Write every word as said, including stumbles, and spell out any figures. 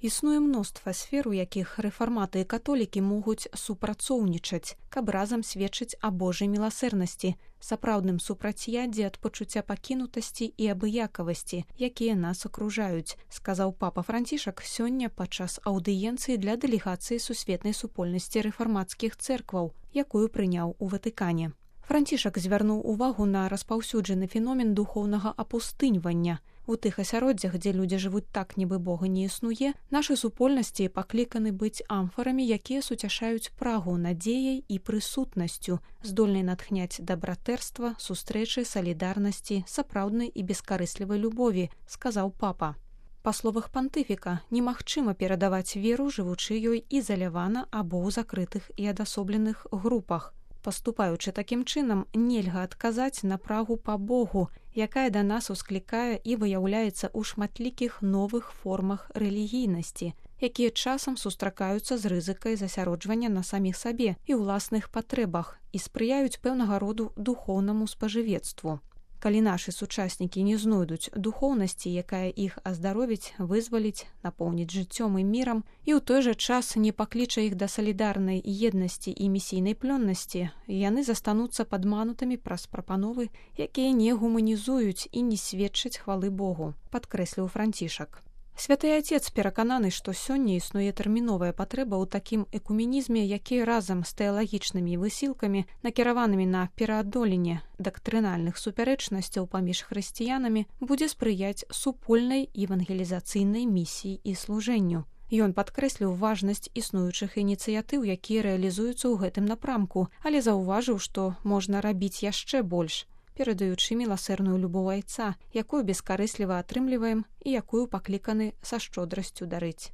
Існуе мноства сфер, у якіх рэфарматы і католікі могуць супрацоўнічаць, каб разам сведчыць аб Божай міласэрнасці, сапраўдным супрацьяддзі ад пачуцця пакінутасці і абыякавасці, якія нас акружаюць, сказаў папа Францішак сёння падчас аўдыенцыі для дэлегацыі сусветнай супольнасці рэфармацкіх цэркваў, якую прыняў у Ватыкане. Францішак звярнуў увагу на распаўсюджаны феномен духоўнага апустыньвання. У тых асяроддзях, дзе людзі жывуць так, нібы Бога не існуе, нашы супольнасці пакліканы быць амфарамі, якія суцяшаюць прагу надзеяй і прысутнасцю, здольнай натхняць да братэрства, сустрэчы, салідарнасці, сапраўднай і бескарыслівай любові, сказаў папа. Па словах пантыфіка, немагчыма перадаваць веру, жывучы ёй ізалявана або ў закрытых і адасобленых групах. Паступаючы такім чынам, нельга адказаць на прагу па Богу, якая да нас усклікае і выяўляецца ў шматлікіх новых формах рэлігійнасці, якія часам сустракаюцца з рызыкай засяроджвання на саміх сабе і ўласных патрэбах і спрыяюць пэўнага роду духоўнаму спажывецтву. Калі нашы сучаснікі не знойдуць духоўнасці, якая іх аздаровіць, вызваліць, напоўніць жыццём і мірам, і ў той жа час не пакліча іх да салідарнай еднасці і місійнай плённасці, яны застануцца падманутымі праз прапановы, якія не гуманізуюць і не сведчаць хвалы Богу, падкрэсліў Францішак. Святы Отец перакананы, што сёння існуе тэрміновая патрэба ў такім экуменізме, які разам з тэалагічнымі высілкамі, накіраванымі на пераадоленне дактрынальных супярэчнасцяў паміж хрысціянамі, будзе спрыяць супольнай евангелізацыйнай місіі і служэнню. Ён падкрэсліў важнасць існуючых ініцыятыў, якія рэалізуюцца ў гэтым напрамку, але заўважыў, што можна рабіць яшчэ больш, перадаючы міласэрную любоў айца, якую бескарысліва атрымліваем і якую пакліканы са шчодрасцю дарыць.